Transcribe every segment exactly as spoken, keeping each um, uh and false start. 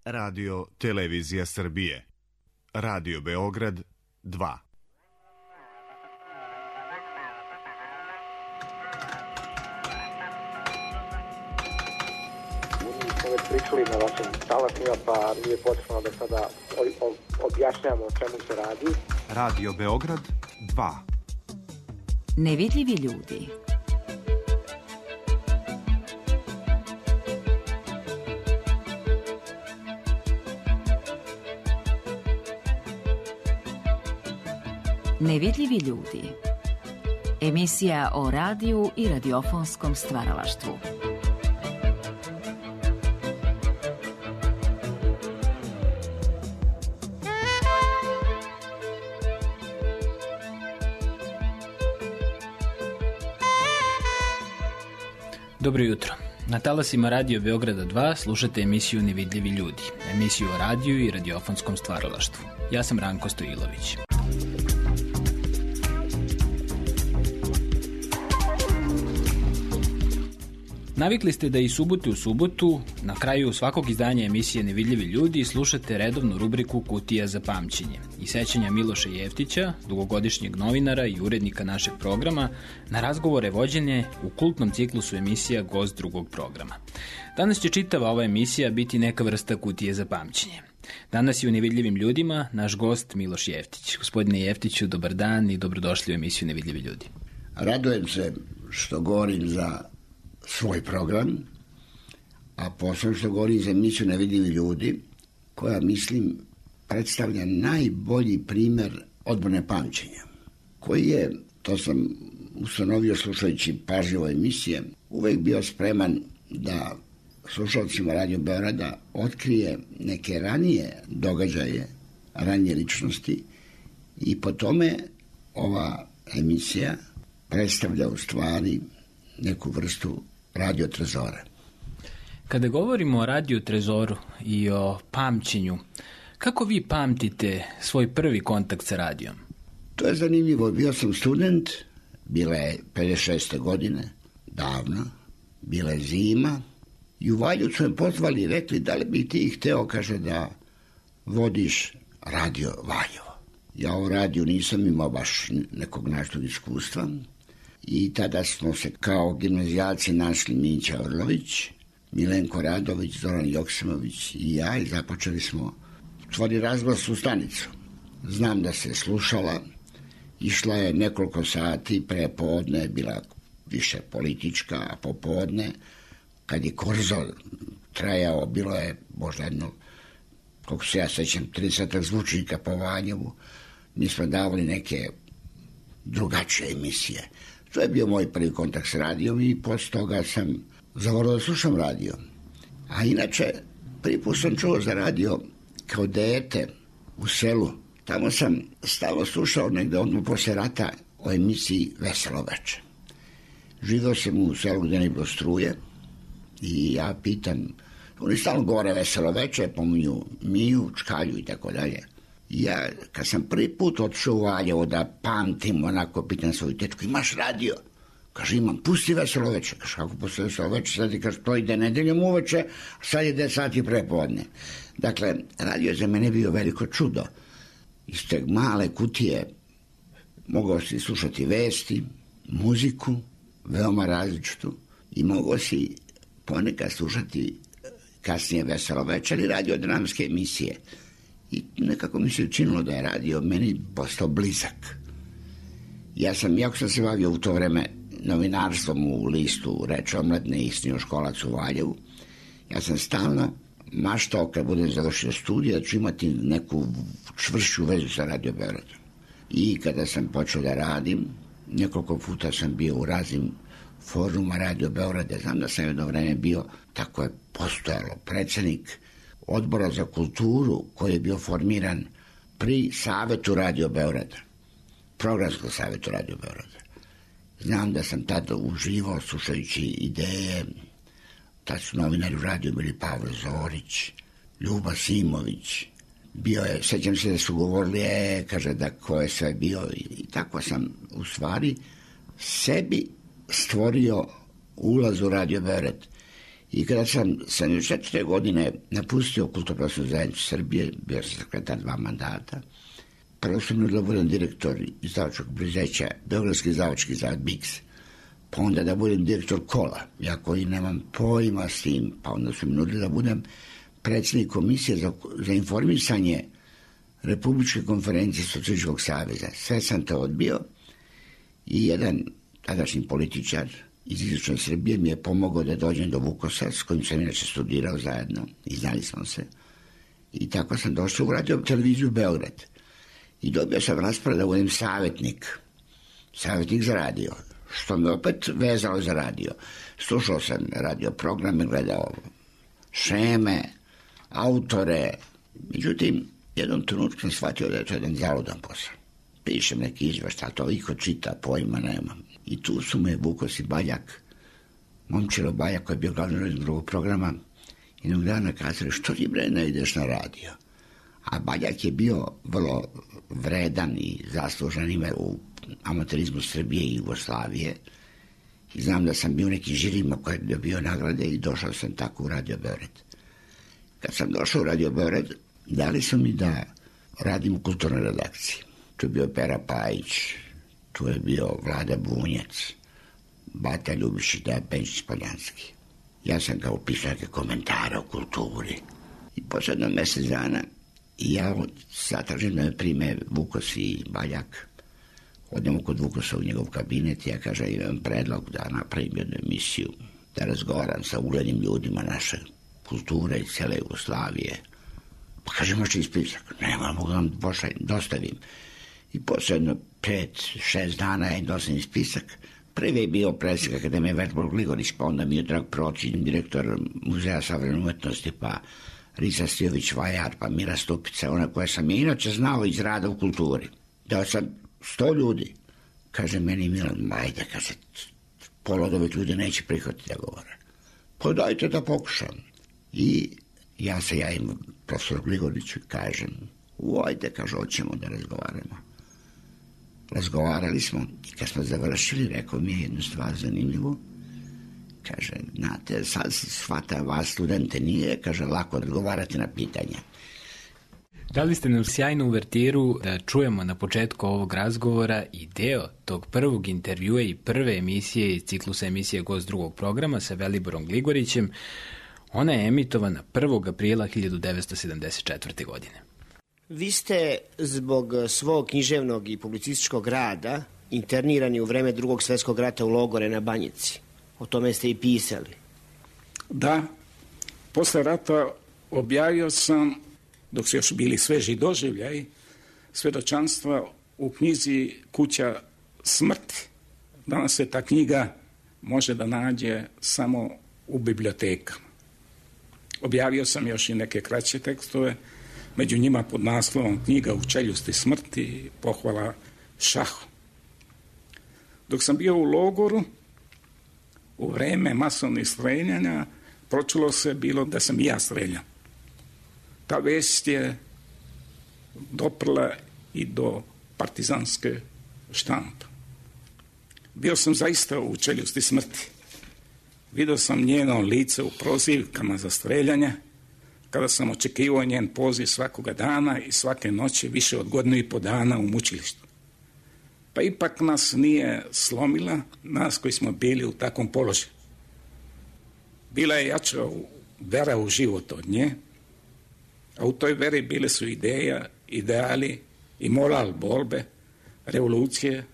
Radio Televizija Srbije. Radio Beograd dva. Mi smo već pričali na vašim talasima, pa nije potrebno da sada objašnjamo o čemu se radi. Radio Beograd dva. Nevidljivi ljudi. Nevidljivi ljudi. Emisija o radiju i radiofonskom stvaralaštvu. Dobro jutro. Na talasima Radio Beograda dva slušate emisiju Nevidljivi ljudi, emisiju o radiju i radiofonskom stvaralaštvu. Ja sam Ranko Stojilović. Navikli ste da i subotu u subotu, na kraju svakog izdanja emisije Nevidljivi ljudi, slušate redovnu rubriku Kutija za pamćenje i sećanja Miloša Jeftića, dugogodišnjeg novinara i urednika našeg programa, na razgovore vođene u kultnom ciklusu emisija Gost drugog programa. Danas će čitava ova emisija biti neka vrsta Kutije za pamćenje. Danas je u Nevidljivim ljudima naš gost Miloš Jeftić. Gospodine Jeftiću, dobar dan i dobrodošli u emisiju Nevidljivi ljudi. Radujem se što govorim za svoj program, a posebno što govorim za emisiju Nevidljivi ljudi, koja, mislim, predstavlja najbolji primer odbrane pamćenja, koji je, to sam ustanovio slušajući pažljivo emisije, uvek bio spreman da slušalcima Radio Beograda otkrije neke ranije događaje, ranije ličnosti, i po tome ova emisija predstavlja u stvari neku vrstu radio trezora. Kada govorimo o radio trezoru i o pamćenju, kako vi pamtite svoj prvi kontakt sa radijom? To je zanimljivo. Bio sam student, bila je pedeset šeste godine, davno, bila je zima, i u Valjevcu me pozvali i rekli da li bi ti hteo, kaže, da vodiš radio Valjevo. Ja o radiju nisam imao baš nekog naštog iskustva, i tada smo se kao gimnazijalci našli Mića Orlović, Milenko Radović, Zoran Joksimović i ja, i započeli smo tvori razglas u stanicu. Znam da se slušala, išla je nekoliko sati, pre podne bila više politička, a popodne, kad je korzo trajao, bilo je možda jedno, koliko se ja sećam, trideset zvučnika po Valjevu, mi smo davali neke drugačije emisije. To je bio moj prvi kontakt s radijom i posle toga sam zavolio da slušam radio. A inače, prvi put sam čuo za radio kao dete u selu. Tamo sam stalno slušao negde odmah posle rata o emisiji Veselo veče. Živao sam u selu gde ne bilo struje i ja pitam, oni stalno govore Veselo veče, pominju Miju, Čkalju i tako dalje. Ja, kad sam prvi put otišao u Valjevo da pamtim, onako pitam svoju tečku, imaš radio? Kaže, imam, pusti Veselo veče. Kaže, kako pusti Veselo veče? Sad ti kaže, to ide nedeljom uveče, a sad je deset sati prepodne. Dakle, radio je za mene bio veliko čudo. Iz te male kutije mogao si slušati vesti, muziku, veoma različitu, i mogao si ponekad slušati kasnije Veselo veče ili radio dramske emisije. I nekako mi se učinilo da je radio meni postao blizak. Ja sam, jako sam se bavio u to vreme novinarstvom u listu Reč omladne i srednjoškolac u Valjevu, ja sam stalno maštao kad budem završio studije da ću imati neku čvršću vezu sa Radio Beogradom. I kada sam počeo da radim, nekoliko puta sam bio u raznim foruma Radio Beograda. Znam da sam jedno vreme bio, tako je postojalo, predsednik Odbora za kulturu koji je bio formiran pri Savetu Radio Beograda, programskom Savetu Radio Beograda. Znam da sam tada uživao slušajući ideje, tad su novinari u radiju bili Pavle Zorić, Ljuba Simović, bio je, sećam se da su govorili, e, kaže da ko je sve bio, i, i tako sam u stvari sebi stvorio ulaz u Radio Beograd. I kada sam sedamdeset četvrte godine napustio Kulturno-prosvetnu zajednicu Srbije, bio sam sekretar dva mandata, prvo sam nudila da budem direktor izdavačkog preduzeća, Beogradski izdavački zavod B I K S, pa onda da budem direktor Kola, ja koji nemam pojma s tim, pa onda su mi nudili da budem predsjednik komisije za, za informisanje Republičke konferencije Socijalističkog saveza. Sve sam to odbio i jedan tadašnji političar iz istočne Srbije mi je pomogao da dođem do Vukosa, s kojim sam inače studirao zajedno i znali smo se. I tako sam došao u radio televiziju Beograd. I dobio sam raspored da budem savjetnik. Savjetnik za radio. Što me opet vezalo za radio. Slušao sam radio programe, gledao šeme, autore. Međutim, jednom trenutku sam shvatio da je to jedan zaludan posao. Pišem neki izveštaj, to iko čita, pojma nemam. I tu su me Vukos i Baljak, Momčilo Baljak koji je bio glavni urednik drugog programa, jednog dana kazali, što ti bre ne ideš na radio? A Baljak je bio vrlo vredan i zaslužan ime u amaterizmu Srbije i Jugoslavije. I znam da sam bio u nekim žirima koji je dobio nagrade i došao sam tako u Radio Beograd. Kad sam došao u Radio Beograd, dali su mi da radim u kulturnoj redakciji. Tu je bio Pera Pajić, tu je bio Vlada Bunjac, Bata Ljubišić, Dejan Penčić Poljanski. Ja sam kao pisao neke komentare o kulturi. I posledno mesec dana ja zatražim da me prime Vukos i Baljak. Odnemo kod Vukosa u njegov kabinet i ja kažem, imam predlog da napravim jednu emisiju, da razgovaram sa uglednim ljudima naše kulture i cele Jugoslavije. Pa kaže, možete ispisak. Nema, mogu vam pošaljem, dostavim. I posledno pet, šest dana ja im dostavim spisak. Prvi je bio predsjednik Akademije Veljko Gligorić, pa onda mi je Drag Pročin, direktor Muzeja savremene umetnosti, pa Risa Stijović Vajar, pa Mira Stupica, ona koja sam je inače znao iz rada u kulturi. Dao sam sto ljudi. Kaže meni Milan, ajde, kaže, pola od ovih ljudi neće prihvatiti da govore. Pa dajte da pokušam. I ja se javim profesor Gligoriću i kažem, ajde, kaže, hoćemo da razgovaramo. Razgovarali smo i kad smo završili, rekao mi je jednu stvar zanimljivu. Kaže, znate, sad shvata vas studente nije, kaže, lako odgovarati na pitanja. Dali ste nam sjajnu uvertiru da čujemo na početku ovog razgovora i deo tog prvog intervjua i prve emisije iz ciklusa emisije Gost drugog programa sa Veliborom Gligorićem. Ona je emitovana prvog aprila hiljadu devetsto sedamdeset četvrte. godine. Vi ste zbog svog književnog i publicističkog rada internirani u vreme Drugog svjetskog rata u logore na Banjici. O tome ste i pisali. Da, posle rata objavio sam, dok su još bili sveži doživljaj, svedočanstva u knjizi Kuća smrti. Danas se ta knjiga može da nađe samo u bibliotekama. Objavio sam još i neke kraće tekstove, među njima pod naslovom Knjiga u čeljusti smrti, pohvala šahu. Dok sam bio u logoru, u vreme masovnih streljanja, pročulo se bilo da sam i ja streljan. Ta vest je doprla i do partizanske štampe. Bio sam zaista u čeljusti smrti. Vidio sam njeno lice u prozivkama za streljanje, kada sam očekivao njen poziv svakoga dana i svake noći više od godinu i po dana u mučilištu. Pa ipak nas nije slomila, nas koji smo bili u takvom položaju. Bila je jača vera u život od nje, a u toj veri bile su ideja, ideali i moral borbe, revolucije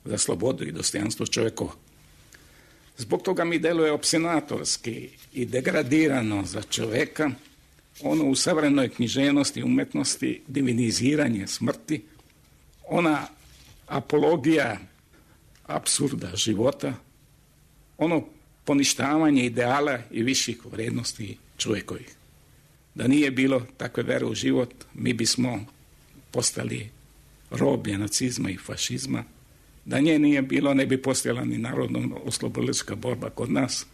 za slobodu i dostojanstvo čovjekova. Zbog toga mi deluje opsenatorski i degradirano za čoveka ono u savremenoj književnosti i umetnosti diviniziranje smrti, ona apologija apsurda života, ono poništavanje ideala i viših vrednosti čovjekovih. Da nije bilo takve vere u život, mi bismo postali roblje nacizma i fašizma. Da nje nije bilo, ne bi postojala ni narodno oslobodilačka borba kod nas,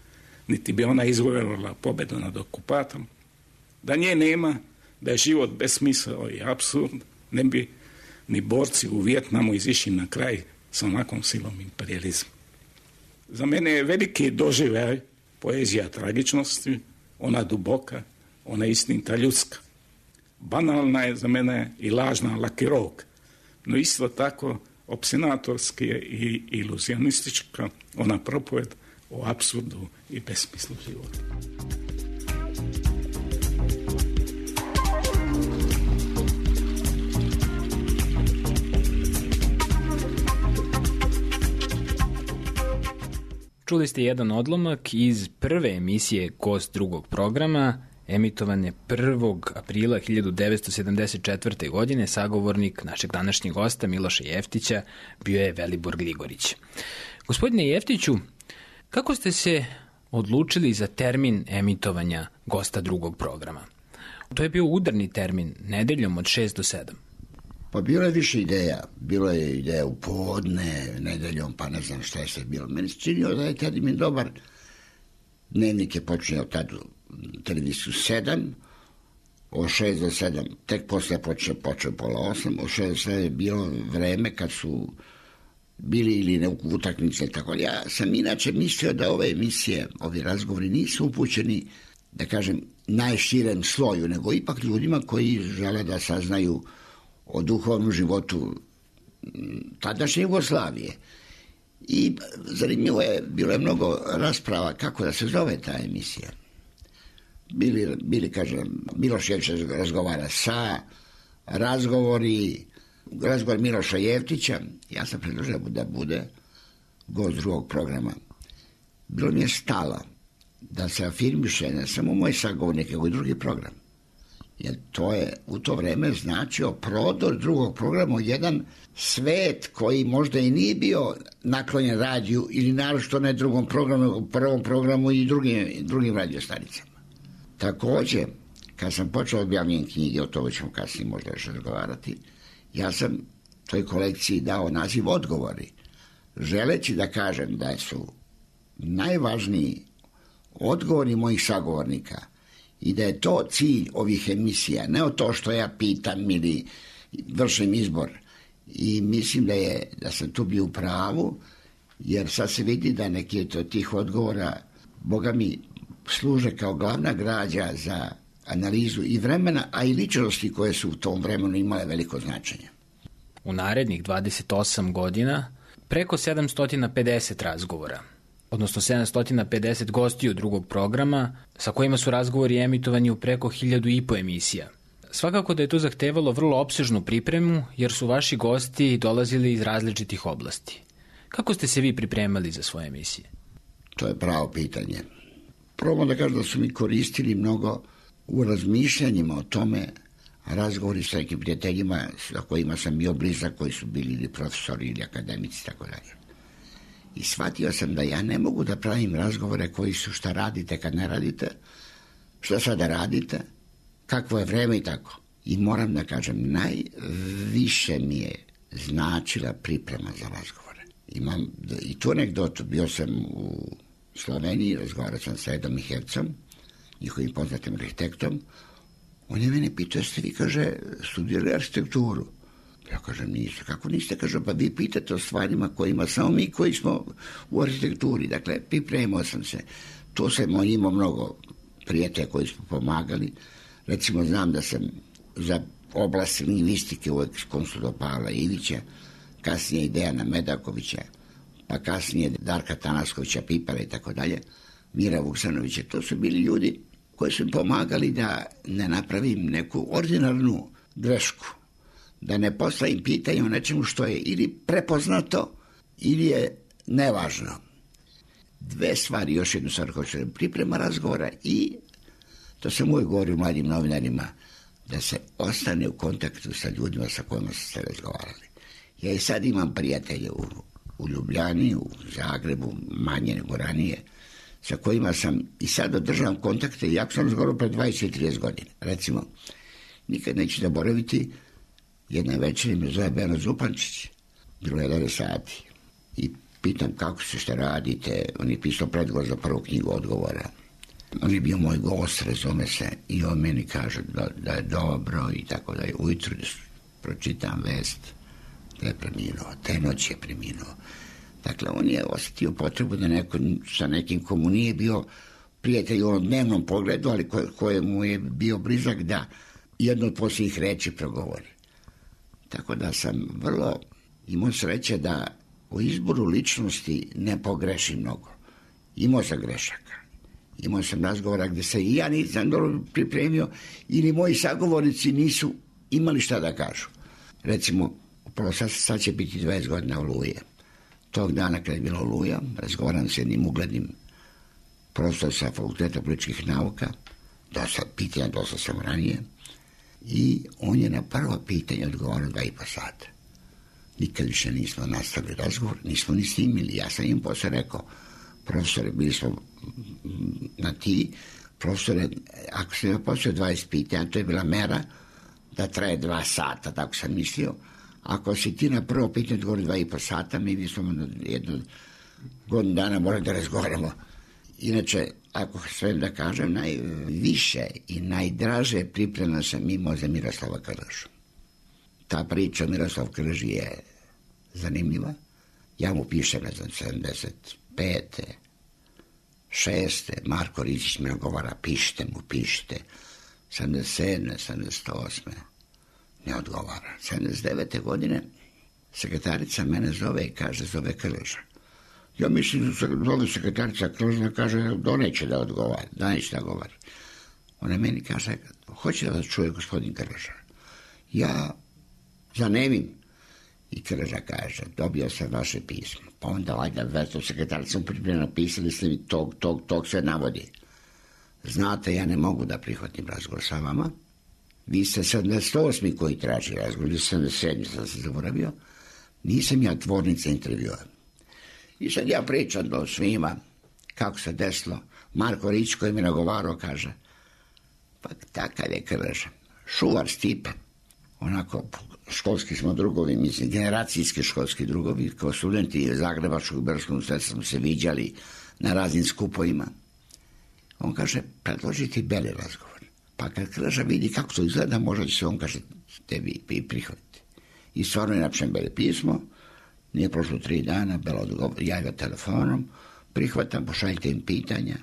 niti bi ona izvojala pobedu nad okupatorom. Da nje nema, da je život besmisao i apsurd, ne bi ni borci u Vijetnamu izišli na kraj sa onakvom silom imperializma. Za mene je veliki doživljaj poezija tragičnosti, ona duboka, ona istinita ljudska. Banalna je za mene i lažna lakirog, no isto tako opsinatorski je i iluzionistička ona propoved o apsurdu i besmislu života. Čuli ste jedan odlomak iz prve emisije Gost drugog programa, emitovane prvog aprila hiljadu devetsto sedamdeset četvrte. godine. Sagovornik našeg današnjeg gosta Miloša Jeftića bio je Velibor Gligorić. Gospodine Jeftiću, kako ste se odlučili za termin emitovanja Gosta drugog programa? To je bio udarni termin, nedeljom od šest do sedam. Pa bilo je više ideja. Bilo je ideja u podne, nedeljom, pa ne znam šta je sve bilo. Meni se činio da je termin dobar. Dnevnik je počinio tad televiziju sedam, od šest do sedam, tek posle počeo, počeo pola osam, od šest do sedam je bilo vreme kad su bili ili ne utakmice, tako. Ja sam inače mislio da ove emisije, ovi razgovori nisu upućeni, da kažem, najširem sloju, nego ipak ljudima koji žele da saznaju o duhovnom životu tadašnje Jugoslavije. I zanimljivo je, bilo je mnogo rasprava kako da se zove ta emisija. Bili, bili kažem, Miloš Jeftić razgovara sa, razgovori, razgovor Miloša Jeftića, ja sam predložio da bude gost drugog programa. Bilo mi je stalo da se afirmiše ne samo moj sagovornik, nego i drugi program. Jer to je u to vreme značio prodor drugog programa, jedan svet koji možda i nije bio naklonjen radiju ili naročito ne drugom programu, prvom programu i drugim, drugim radiostanicama. Također, kad sam počeo objavljen knjige, o tome ćemo kasnije možda još razgovarati, ja sam toj kolekciji dao naziv Odgovori, želeći da kažem da su najvažniji odgovori mojih sagovornika i da je to cilj ovih emisija, ne o to što ja pitam ili vršim izbor. I mislim da je da sam tu bio u pravu, jer sad se vidi da neki od tih odgovora, Boga mi, služe kao glavna građa za analizu i vremena, a i ličnosti koje su u tom vremenu imale veliko značenje. U narednih dvadeset osam godina preko sedamsto pedeset razgovora, odnosno sedamsto pedeset gostiju drugog programa, sa kojima su razgovori emitovani u preko hiljadu i po emisija. Svakako da je to zahtevalo vrlo opsežnu pripremu, jer su vaši gosti dolazili iz različitih oblasti. Kako ste se vi pripremali za svoje emisije? To je pravo pitanje. Probam da kažem da su mi koristili mnogo u razmišljanjima o tome, razgovori sa nekim prijateljima sa kojima sam bio blizak, koji su bili ili profesori ili akademici, tako dalje. I shvatio sam da ja ne mogu da pravim razgovore koji su šta radite kad ne radite, šta sada radite, kakvo je vreme i tako. I moram da kažem, najviše mi je značila priprema za razgovore. Imam i tu anegdotu, bio sam u Sloveniji, razgovarao sam sa Edom i Hercom, njihovim poznatim arhitektom. On je mene pitao, jeste vi, kaže, studirali arhitekturu? Ja kažem, niste. Kako niste? Kaže, pa vi pitate o stvarima kojima samo mi koji smo u arhitekturi. Dakle, pripremao sam se. To sam imao mnogo prijatelja koji smo pomagali. Recimo, znam da sam za oblast lingvistike uvek konsultovao Pavla Ivića, kasnije i Dejana Medakovića, pa kasnije Darka Tanaskovića, Pipara i tako dalje, Mira Vuksanovića. To su bili ljudi koji su mi pomagali da ne napravim neku ordinarnu grešku, da ne postavim pitanje o nečemu što je ili prepoznato ili je nevažno. Dve stvari, još jednu stvar koju ću priprema razgovora i to sam uvijek govorio mladim novinarima, da se ostane u kontaktu sa ljudima sa kojima ste razgovarali. Ja i sad imam prijatelje u, u Ljubljani, u Zagrebu, manje nego ranije, sa kojima sam i sad održavam kontakte, i jako sam razgovarao pre dvadeset trideset godina. Recimo, nikad neću zaboraviti, jedna večer me zove Beno Zupančić, bilo je jedan sati, i pitam kako se šta radite, on je pisao predgovor za prvu knjigu Odgovora. On je bio moj gost, razume se, i on meni kaže da, da je dobro i tako da je ujutru pročitam vest da je preminuo, te noći je preminuo. Dakle, on je osjetio potrebu da neko sa nekim komu nije bio prijatelj u onom dnevnom pogledu, ali ko, kojemu je bio blizak da jedno od posljednjih reči progovori. Tako da sam vrlo imao sreće da u izboru ličnosti ne pogrešim mnogo. Imao sam grešaka. Imao sam razgovora gde se i ja nisam dobro pripremio ili moji sagovornici nisu imali šta da kažu. Recimo, upravo sad, sad će biti dvadeset godina Oluje. Tog dana kada je bila Oluja, razgovaram s jednim uglednim profesor sa Fakulteta političkih nauka, dosta pitanja, dosta sam ranije, i on je na prvo pitanje odgovorio dva i po sata. Nikad više nismo nastavili razgovor, nismo ni snimili. Ja sam im posle rekao, profesore, bili smo na ti, profesore, ako sam imao posle dvadeset pitanja, to je bila mera da traje dva sata, tako sam mislio. Ako si ti na prvo pitanje odgovorio dva i po sata, mi bismo jednu godinu dana morali da razgovaramo. Inače, ako sve da kažem, najviše i najdraže pripremno sam imao za Miroslava Krležu. Ta priča o Miroslav Krleži je zanimljiva. Ja mu pišem, ne znam, sedamdeset pete, šeste Marko Rizić mi odgovara, pišite mu, pišite. sedamdeset sedme, sedamdeset osme ne odgovara. sedamdeset devete godine sekretarica mene zove i kaže, zove Krleža. Ja mislim da se zove sekretarica Krleža, kaže, doneće da odgovara, da neće da govori. Ona meni kaže, hoće da vas čuje gospodin Krleža. Ja zanemim. I Krleža kaže, dobio sam vaše pismo. Pa onda valjda vesto sekretarica pripremno napisali ste mi tog, tog, tog sve navodi. Znate, ja ne mogu da prihvatim razgovor sa vama. Vi ste sedamdeset osmi koji traži razgovor, ili sedamdeset sedmi sam se zaboravio. Nisam ja tvornica intervjua. I sad ja pričam do svima kako se desilo. Marko Rić koji mi nagovarao kaže, pa takav je Krleža. Šuvar Stipe. Onako, školski smo drugovi, mislim, generacijski školski drugovi, kao studenti Zagrebačkog i Beogradskog univerziteta smo se viđali na raznim skupovima. On kaže, predložiti beli razgovor. Pa kad Krleža vidi kako to izgleda, možda će se on, kaže, tebi prihvatiti. I stvarno je napišem beli pismo, nije prošlo tri dana, Bela odgovor, javlja telefonom, prihvatam, pošaljite im pitanja,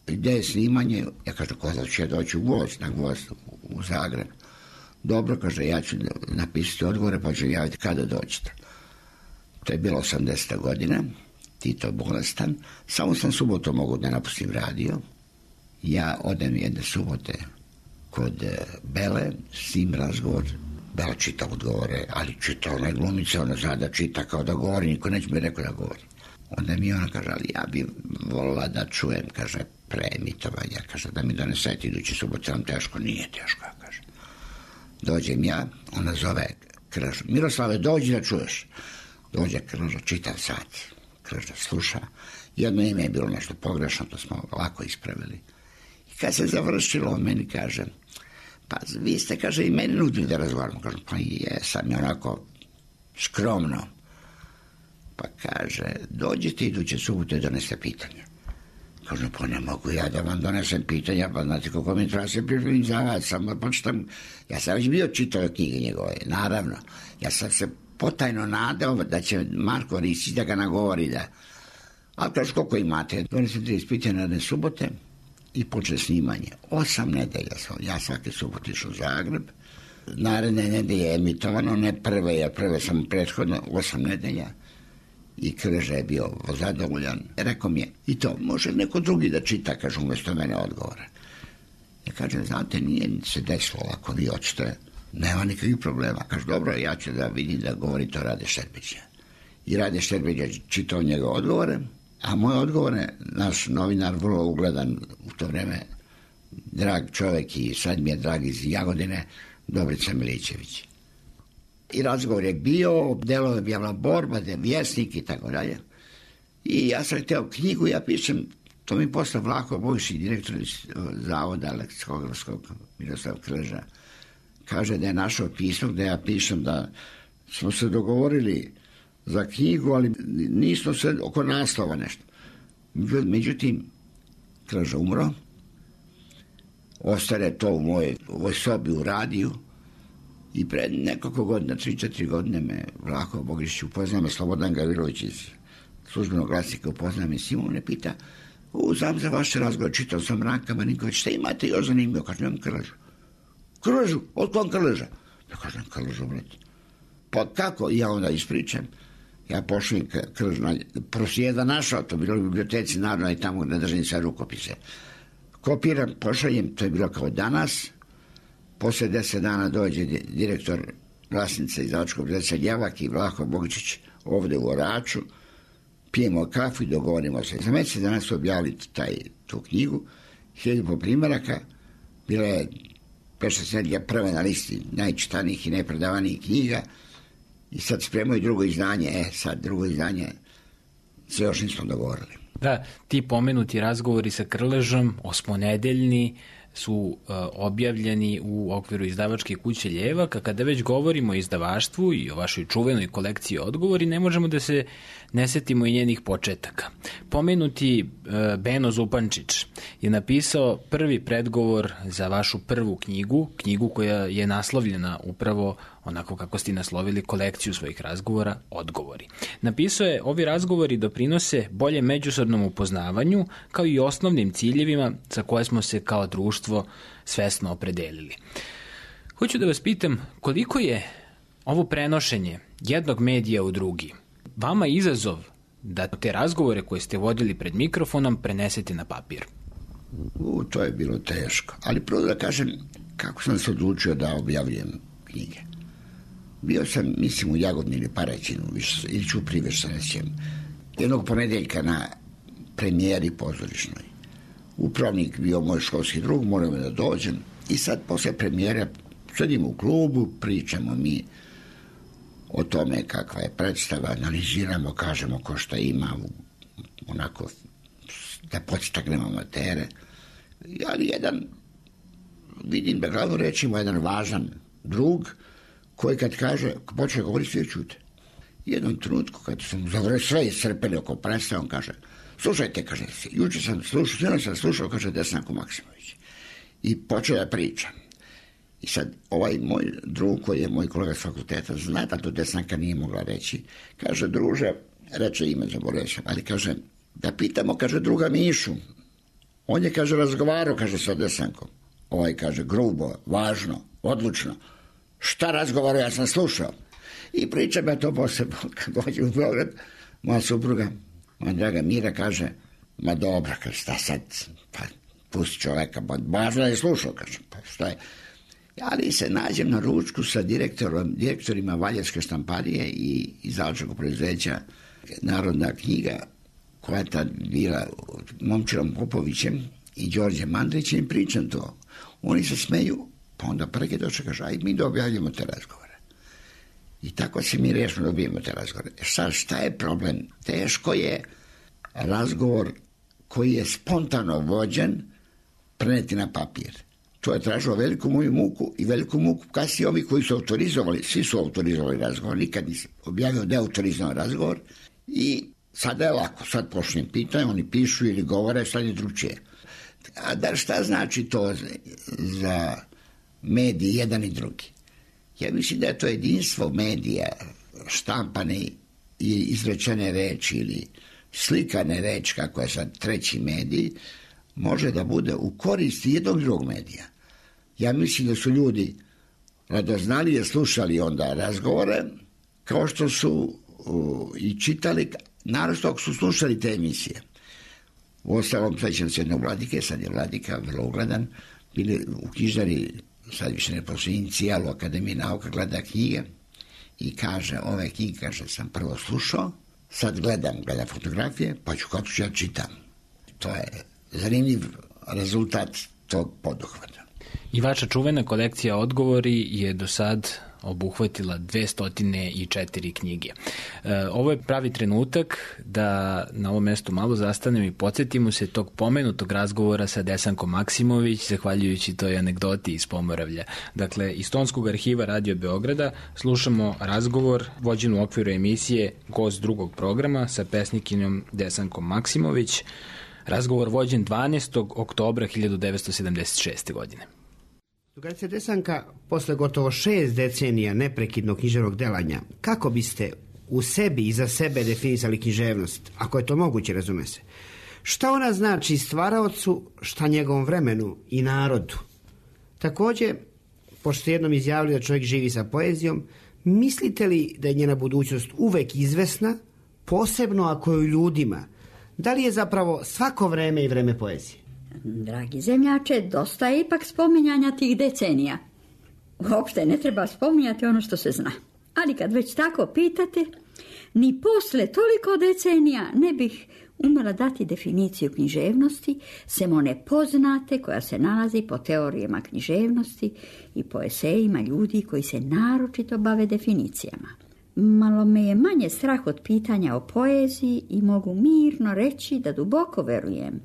gde je snimanje, ja kažem, ko da ću ja doći u gost, na gost u Zagreb. Dobro, kaže, ja ću napisati odgovore, pa ću javiti kada dođete. To je bilo osamdeseta godina, Tito bolestan, samo sam subotom mogu da napustim radio. Ja odem jedne subote kod Bele, s njim razgovor, Bela čita odgovore, ali čita onaj glumica, ona zna da čita kao da govori, niko neće mi rekao da govori. Onda mi ona kaže, ali ja bi volila da čujem, kaže, preemitovanja, kaže, da mi donesete idući subot, vam teško, nije teško, kaže. Dođem ja, ona zove Krležu, Miroslave, dođi da čuješ. Dođe Krleža, čitav sat, Krleža sluša, jedno ime je bilo nešto pogrešno, to smo lako ispravili. I kad se završilo, on meni kaže, pa vi ste, kaže, i meni nudili da razgovaramo. Kažem, pa jesam je onako skromno. Pa kaže, dođite iduće subote i doneste pitanje. Kažem, pa ne mogu ja da vam donesem pitanja, pa znate kako mi treba se pripremiti za vas, samo počitam. Ja sam već bio čitao knjige njegove, naravno. Ja sam se potajno nadao da će Marko Rizić da ga nagovori da... Ali kaže, koliko imate? Donesem trideset pitanja jedne subote i počne snimanje. Osam nedelja sam, ja svake subote išao u Zagreb. Naredne nedelje je emitovano, ne prve, jer prve sam prethodno, osam nedelja. I Krleža je bio zadovoljan. Rekao mi je, i to, može neko drugi da čita, kaže, umjesto mene odgovora. Ja kažem, znate, nije se desilo ako vi hoćete, nema nikakvih problema. Kaže, dobro, ja ću da vidim da govori to Rade Šerbeđa. I Rade Šerbeđa čitao njegove odgovore, a moje odgovore, naš novinar, vrlo ugledan u to vreme, drag čovjek i sad mi je drag iz Jagodine, Dobrica Milićević. I razgovor je bio, delo je bila borba, da je vjesnik i tako dalje. I ja sam htio knjigu, ja pišem, to mi posle Vlaho Bogišić, direktor zavoda leksikografskog Miroslav Krleža, kaže da je našao pismo gde ja pišem da smo se dogovorili za knjigu, ali nismo se oko naslova nešto. Međutim, Krleža umro, ostane to u mojoj, u ovoj sobi u radiju. I pred nekoliko godina, tri četiri godine me Vlaho Bogišić upoznao, me Slobodan Gavrilović iz službenog glasnika upoznao me, Simon me pita, U, znam za vaše razgovor, čitao sam Ranka Marinković, šta imate još zanimljivo? Kaže, nemam Krležu. Krležu? Od kom Krleža? Ja kažem, Krležu, brate. Pa kako? Ja onda ispričam. Ja pošlim Krležu, prosjeda našao, to bilo u biblioteci Narodna i tamo ne držim sve rukopise. Kopiram, pošaljem, to je bilo kao danas. Posle deset dana dođe direktor Glasnice izdavačkog preduzeća Ljevak i Vlaho Bogičić ovde u Oraču. Pijemo kafu i dogovorimo se. Za mesec danas su objavili taj, tu knjigu, hiljadu po primjeraka, bila je pešta sedlja prva na listi najčitanijih i najpredavanijih knjiga i sad spremaju drugo izdanje, e sad drugo izdanje se još nismo dogovorili. Da, ti pomenuti razgovori sa Krležom, osmonedeljni, su uh, objavljeni u okviru izdavačke kuće Ljevak, a kada već govorimo o izdavaštvu i o vašoj čuvenoj kolekciji odgovori, ne možemo da se ne setimo i njenih početaka. Pomenuti uh, Beno Zupančić je napisao prvi predgovor za vašu prvu knjigu, knjigu koja je naslovljena upravo onako kako ste naslovili kolekciju svojih razgovora, Odgovori. Napisao je, ovi razgovori doprinose bolje međusobnom upoznavanju, kao i osnovnim ciljevima za koje smo se kao društvo svesno opredelili. Hoću da vas pitam, koliko je ovo prenošenje jednog medija u drugi vama izazov da te razgovore koje ste vodili pred mikrofonom prenesete na papir? U, to je bilo teško. Ali prvo da kažem kako sam se odlučio da objavljujem knjige. Bio sam, mislim, u Jagodini ili Paraćinu, ili ću priveš sa nećem, jednog ponedeljka na premijeri pozorišnoj. Upravnik bio moj školski drug, moram da dođem i sad posle premijera sedimo u klubu, pričamo mi o tome kakva je predstava, analiziramo, kažemo ko šta ima, onako da podstaknemo amatere. Ali jedan, vidim da glavno rečimo, jedan važan drug koji kad kaže, počne govoriti, svi čute. Jednom trenutku, kad sam zavrlo sve iscrpeli oko predstava, on kaže, slušajte, kaže, juče sam slušao, sve sam slušao, kaže Desanko Maksimović. I počeo da pričam. I sad, ovaj moj drug, koji je moj kolega s fakulteta, zna da to Desanka nije mogla reći. Kaže, druže, reče ime, zaboravio sam, ali kaže, da pitamo, kaže, druga Mišu. On je, kaže, razgovarao, kaže, sa Desankom. Ovaj kaže, grubo, važno, odlučno. Šta razgovarao, ja sam slušao. I pričam ja to posebno, kad dođem u Beograd, moja supruga, moja draga Mira, kaže, ma dobro, kaže, šta sad, pa pusti čoveka, pa važno je slušao, kaže, pa šta je. Ali se nađem na ručku sa direktorom, direktorima Valjarske štamparije i izdavačkog preduzeća Narodna knjiga, koja je tad bila Momčirom Popovićem i Đorđem Mandrićem, i pričam to. Oni se smeju, pa onda preke došle, kaže, aj mi da objavljamo te razgovore. I tako se mi rešimo da objavimo te razgovore. Sad, šta je problem? Teško je razgovor koji je spontano vođen preneti na papir. To je tražilo veliku moju muku i veliku muku kasnije ovi koji su autorizovali, svi su autorizovali razgovor, nikad nisam objavio deautorizovan razgovor i sada je lako, sad pošlim pitanje, oni pišu ili govore, sad je drugčije. A da šta znači to za mediji jedan i drugi? Ja mislim da je to jedinstvo medija, štampane i izrečene reči ili slikane reči, kako je sad treći medij, može da bude u korist jednog drugog medija. Ja mislim da su ljudi radoznalije slušali onda razgovore, kao što su uh, i čitali, naravno ako su slušali te emisije. U ostalom, sećam se jednog Vladike, sad je Vladika vrlo ugledan, bili u knjižari, sad više ne postoji inicijal u Akademiji nauka, gleda knjige i kaže, ove knjige, kaže, sam prvo slušao, sad gledam, gledam fotografije, pa ću kako ću ja čitam. To je zanimljiv rezultat tog poduhvata. I vaša čuvena kolekcija Odgovori je do sad obuhvatila dvesta četiri knjige. E, ovo je pravi trenutak da na ovom mestu malo zastanem i podsjetimo se tog pomenutog razgovora sa Desankom Maksimović, zahvaljujući toj anegdoti iz Pomoravlja. Dakle, iz Tonskog arhiva Radio Beograda slušamo razgovor vođen u okviru emisije Gost drugog programa sa pesnikinjom Desankom Maksimović. Razgovor vođen dvanaestog oktobra hiljadu devetsto sedamdeset šeste. godine. Drugarice Desanka, posle gotovo šest decenija neprekidnog književnog delanja, kako biste u sebi i za sebe definisali književnost, ako je to moguće, razume se? Šta ona znači stvaraocu, šta njegovom vremenu i narodu? Također, pošto ste jednom izjavili da čovjek živi sa poezijom, mislite li da je njena budućnost uvek izvesna, posebno ako je u ljudima? Da li je zapravo svako vreme i vreme poezije? Dragi zemljače, dosta je ipak spominjanja tih decenija. Uopšte ne treba spominjati ono što se zna. Ali kad već tako pitate, ni posle toliko decenija ne bih umela dati definiciju književnosti, sem one poznate koja se nalazi po teorijama književnosti i po esejima ljudi koji se naročito bave definicijama. Malo me je manje strah od pitanja o poeziji i mogu mirno reći da duboko verujem.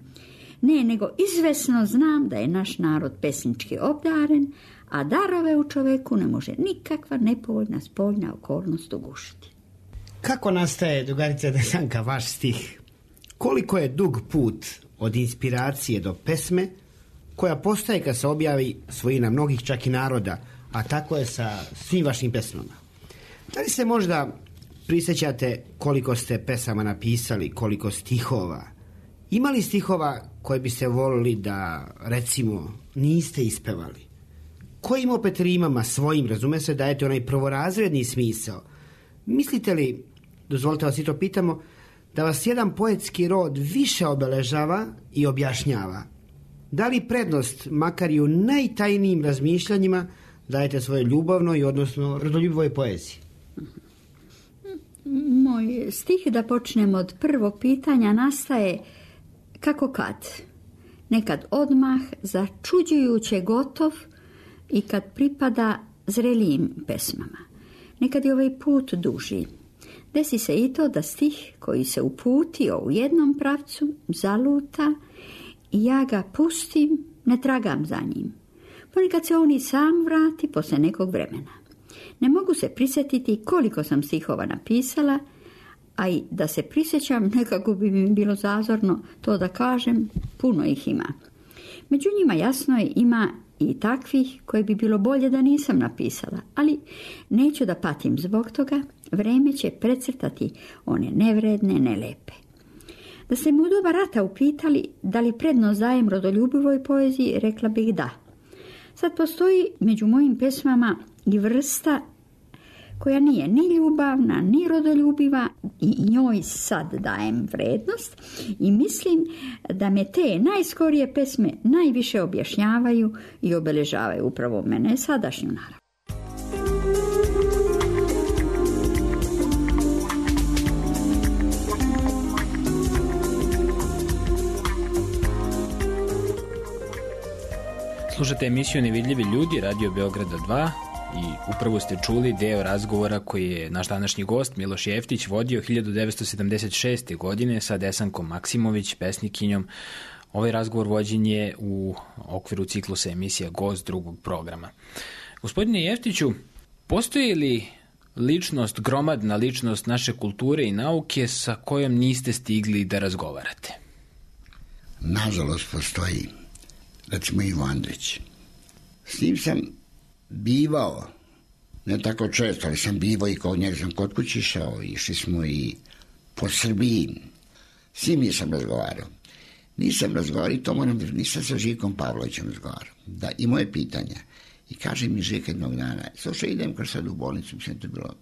Ne, nego izvesno znam da je naš narod pesnički obdaren, a darove u čoveku ne može nikakva nepovoljna spoljna okolnost ugušiti. Kako nastaje, drugarice Desanka, vaš stih? Koliko je dug put od inspiracije do pesme, koja postaje kad se objavi svojina mnogih čak i naroda, a tako je sa svim vašim pesmama? Da li se možda prisjećate koliko ste pesama napisali, koliko stihova? Ima li stihova koje biste volili da, recimo, niste ispevali? Kojim opet rimama svojim, razume se, dajete onaj prvorazredni smisao? Mislite li, dozvolite vas i to pitamo, da vas jedan poetski rod više obeležava i objašnjava? Da li prednost, makar i u najtajnijim razmišljanjima, dajete svoje ljubavnoj, odnosno rodoljubivoj poeziji? Moj stih, da počnem od prvog pitanja, nastaje kako kad. Nekad odmah, začuđujuće gotov i kad pripada zrelijim pesmama. Nekad je ovaj put duži. Desi se i to da stih koji se uputio u jednom pravcu zaluta i ja ga pustim, ne tragam za njim. Ponekad se on i sam vrati posle nekog vremena. Ne mogu se prisjetiti koliko sam stihova napisala, a i da se prisjećam nekako bi mi bilo zazorno to da kažem, puno ih ima. Među njima jasno je ima i takvih koje bi bilo bolje da nisam napisala, ali neću da patim zbog toga, vreme će precrtati one nevredne, nelepe. Da ste mu u doba rata upitali da li prednost dajem rodoljubivoj poeziji, rekla bih da. Sad postoji među mojim pesmama i vrsta koja nije ni ljubavna, ni rodoljubiva i njoj sad dajem vrednost i mislim da me te najskorije pesme najviše objašnjavaju i obeležavaju upravo mene sadašnju narav. Slušate emisiju Nevidljivi ljudi, Radio Beograda dva, i upravo ste čuli deo razgovora koji je naš današnji gost Miloš Jeftić vodio hiljadu devetsto sedamdeset šeste. godine sa Desankom Maksimović, pesnikinjom. Ovaj razgovor vođen je u okviru ciklusa emisija Gost drugog programa. Gospodine Jeftiću, postoji li ličnost, gromadna ličnost naše kulture i nauke sa kojom niste stigli da razgovarate? Nažalost postoji, recimo Ivo Andrić. S njim sam bivao, ne tako često, ali sam bivao i kod njega sam kod kući išao, išli smo i po Srbiji. S njim nisam razgovarao. Nisam razgovarao i to moram da nisam sa Živkom Pavlovićem razgovarao. Da, i moje pitanja. I kaže mi Žika jednog dana, slušaj, idem kaže sad u bolnicu, mislim to je bilo,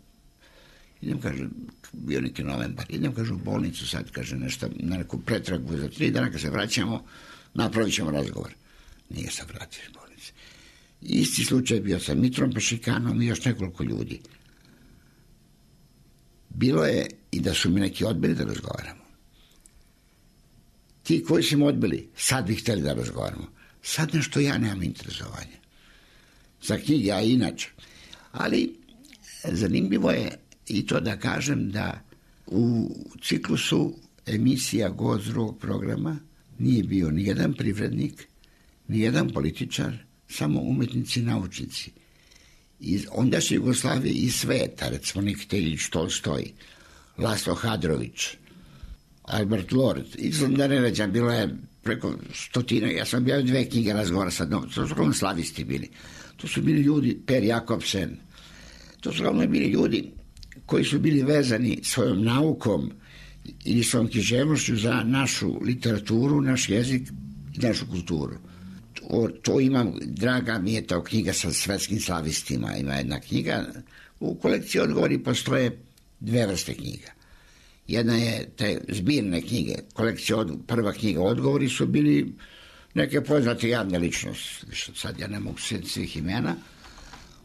idem kaže, bio neki novembar, idem kaže u bolnicu sad, kaže nešto, na neku pretragu za tri dana, kad se vraćamo, napravit ćemo razgovor. Nije se vratio iz bolnice. Isti slučaj bio sa Mitrom Pešikanom i još nekoliko ljudi. Bilo je i da su mi neki odbili da razgovaramo. Ti koji su mi odbili, sad bi htjeli da razgovaramo. Sad nešto ja nemam interesovanja. Za knjige, a inače. Ali zanimljivo je i to da kažem da u ciklusu emisija Gost drugog programa nije bio nijedan privrednik, nijedan političar, samo umetnici i naučnici. Iz ondašnje Jugoslavije i sveta, recimo Nikita Iljić Tolstoj, Laslo Hadrović, Albert Lord, izgled da ne ređam, bilo je preko stotina, ja sam objavio dve knjige razgovora sa dnom, to su uglavnom slavisti bili. To su bili ljudi, Per Jakobsen, to su uglavnom bili ljudi koji su bili vezani svojom naukom ili svojom književnošću za našu literaturu, naš jezik i našu kulturu. To, to imam, draga mi je to knjiga sa svetskim slavistima, ima jedna knjiga. U kolekciji odgovori postoje dve vrste knjiga. Jedna je te zbirne knjige, kolekcija od, prva knjiga odgovori su bili neke poznate javne ličnosti, sad ja ne mogu sjetiti svih imena,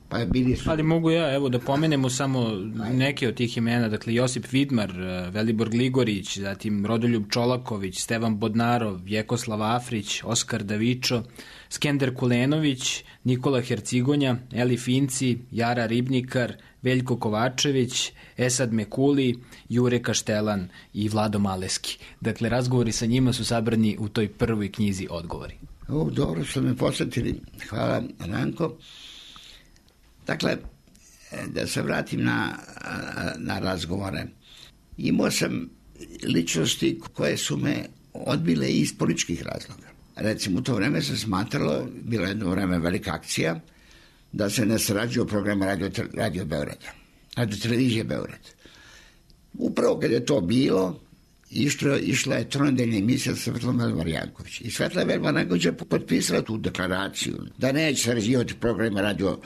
pa je bili su... Ali mogu ja, evo, da pomenemo samo neke od tih imena, dakle Josip Vidmar, Velibor Gligorić, zatim Rodoljub Čolaković, Stevan Bodnarov, Vjekoslav Afrić, Oskar Davičo, Skender Kulenović, Nikola Hercigonja, Eli Finci, Jara Ribnikar, Veljko Kovačević, Esad Mekuli, Jure Kaštelan i Vlado Maleski. Dakle, razgovori sa njima su sabrani u toj prvoj knjizi odgovori. O, dobro ste me posjetili. Hvala, Ranko. Dakle, da se vratim na, na razgovore. Imao sam ličnosti koje su me odbile iz političkih razloga. Recimo, u to vreme se smatralo, bila jedno vreme velika akcija, da se ne sarađuje o programu Radio, Radio Beograda, Radio Televizije Beograd. Upravo kad je to bilo, išla, išla je tronedeljna emisija sa Svetlom Velmar-Janković. I Svetla Velmar-Janković je potpisala tu deklaraciju da neće sarađivati programa Radio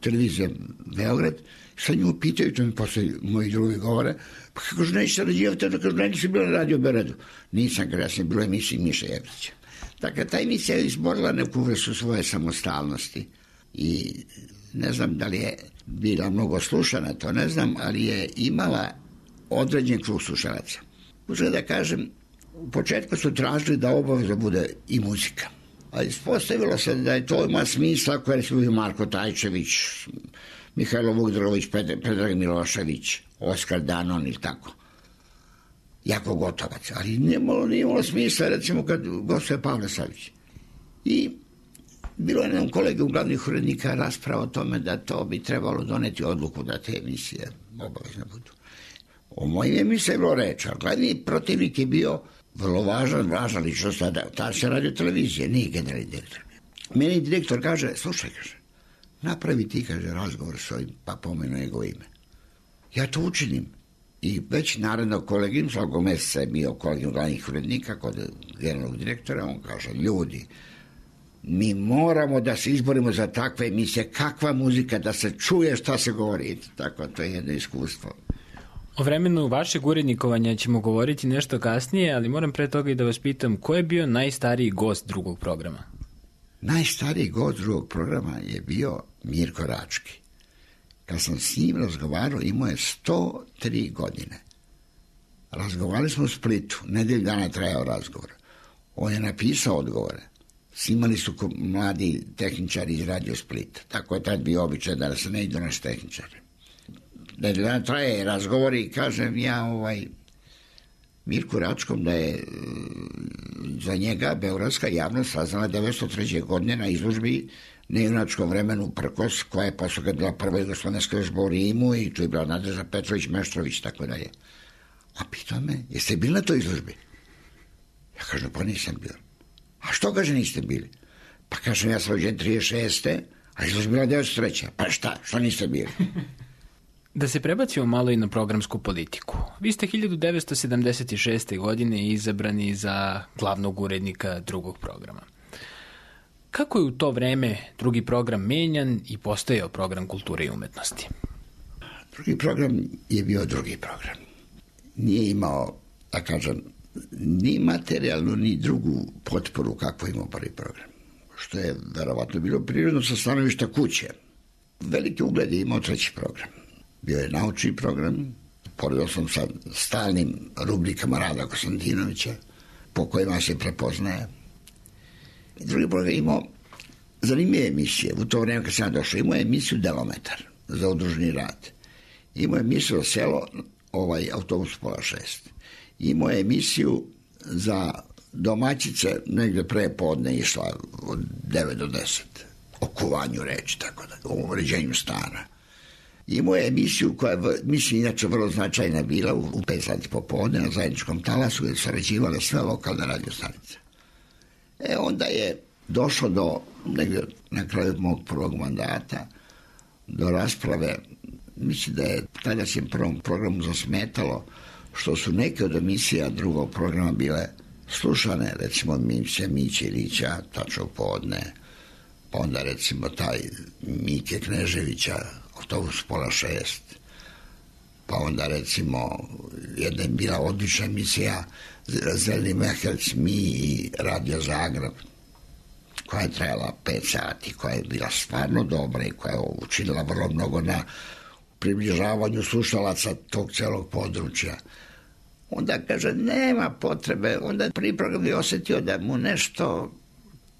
Televizije Beograd. Sa nju pitaju, to mi posle moji drugi govore, pa kako že neće sarađivati, da kažu, ne nisi bila na Radio Beogradu. Nisam, kada ja sam bila emisija Miša Jevrića. Dakle, ta emisija je izborila neku vrstu svoje samostalnosti. I ne znam da li je bila mnogo slušana, to ne znam, ali je imala određen krug slušalaca. Uzgled da kažem, u početku su tražili da obavezno bude i muzika. A ispostavilo se da je to ima smisla koje su bili Marko Tajčević, Mihajlo Vukdrović, Predrag Milošević, Oskar Danon ili tako. Jako Gotovac. Ali nije imalo, nije imalo smisla, recimo, kad gostuje Pavle Savić. I bilo je nam kolege u glavnih urednika rasprava o tome da to bi trebalo doneti odluku da te emisije obavezno budu. O mojim emisijama je bilo reč, a glavni protivnik je bio vrlo važan, važna ličnost tada se Radio Televizije, nije generalni direktor. Meni direktor kaže, slušaj, kaže, napravi ti, kaže, razgovor s ovim, pa pomenu njegovo ime. Ja to učinim. I već narednog kolegim, svakog mjeseca je bio kolegim glavnih urednika kod generalnog direktora, on kaže, ljudi, mi moramo da se izborimo za takve emisije, kakva muzika, da se čuje šta se govori. Tako, to je jedno iskustvo. O vremenu vašeg urednikovanja ćemo govoriti nešto kasnije, ali moram pre toga i da vas pitam, ko je bio najstariji gost drugog programa? Najstariji gost drugog programa je bio Mirko Rački. Kad sam s njim razgovarao, imao je sto tri godine. Razgovarali smo u Splitu, nedelju dana trajao razgovor. On je napisao odgovore. Snimali su mladi tehničari iz Radio Split. Tako je tad bio običaj da se ne idu naši tehničari. Nedelju dana traje razgovor i kažem ja ovaj Mirku Račkom da je za njega beogradska javnost saznala devetsto treće godine na izložbi nejunačkom vremenu Prkos, koja je posle kad bila prva jugoslovenska izložba u Rimu i tu je bila Nadežda Petrović, Meštrović, tako dalje. A pitao me, jeste bili na toj izložbi? Ja kažem, pa nisam bio. A što, kaže, niste bili? Pa kažem, ja sam rođen trideset šeste. a izložba bila devetsto treće. Pa šta, što niste bili? Da se prebacimo malo i na programsku politiku. Vi ste hiljadu devetsto sedamdeset šeste. godine izabrani za glavnog urednika drugog programa. Kako je u to vreme drugi program menjan i postojao program kulture i umetnosti? Drugi program je bio drugi program. Nije imao, da kažem, ni materijalnu, ni drugu potporu kako imao prvi program. Što je verovatno bilo prirodno sa stanovišta kuće. Veliki ugled je imao treći program. Bio je naučni program, poredio sam sa stalnim rubrikama Rada Konstantinovića, po kojima se prepoznaje. I drugi program je imao zanimljive emisije. U to vreme kad sam došao, imao je emisiju Delometar za udružni rad. Imao je emisiju Selo, ovaj autobus pola šest. Imao je emisiju za domaćice, negde pre podne išla od devet do deset. O kuvanju reči, tako da, o uređenju stana. Imao je emisiju koja, mislim, inače vrlo značajna bila u, u pet sati popodne na zajedničkom talasu, gdje su sarađivale sve lokalne radiostanice. E, onda je došlo do, negdje na kraju mog prvog mandata, do rasprave, mislim da je tada se prvom programu zasmetalo što su neke od emisija drugog programa bile slušane, recimo Miće Mićirića, Tačno podne, pa onda recimo taj Mike Kneževića, Autobus pola šest, pa onda recimo jedna je bila odlična emisija Zeleni Mehelc, mi i Radio Zagreb, koja je trajala pet sati, koja je bila stvarno dobra i koja je učinila vrlo mnogo na približavanju slušalaca tog celog područja. Onda kaže, nema potrebe, onda prvi program je osjetio da mu nešto,